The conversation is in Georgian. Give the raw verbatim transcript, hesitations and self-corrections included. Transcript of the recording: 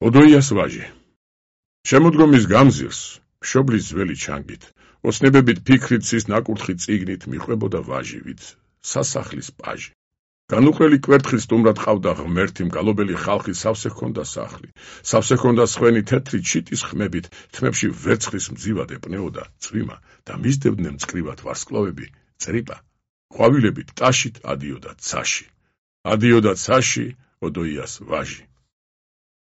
ოდოიას ვაჟი. შემოდგომის გამზირს, მშობლის ძველი ჩანგით, ოცნებებით ფიქრით cis ნაკურთხი წიგნით მიყვებოდა ვაჟივით, სასახლის პაჟი. განუყრელი კვერთხი სტუმრად ყავდა ღმერთი მგალობელი ხალხის სავსე ჰქონდა სახლი. სავსე ჰქონდა სხვენი თეთრი ჩიტის ხმებით, თმებში ვერცხლის მძივად ეპნეოდა წვიმა და მისდებდნენ მწკრივად ვარსკვლავები, წრიპა. ყვავილებით ტაშით ადიოდა ცაში. ადიოდა ცაში ოდოიას ვაჟი.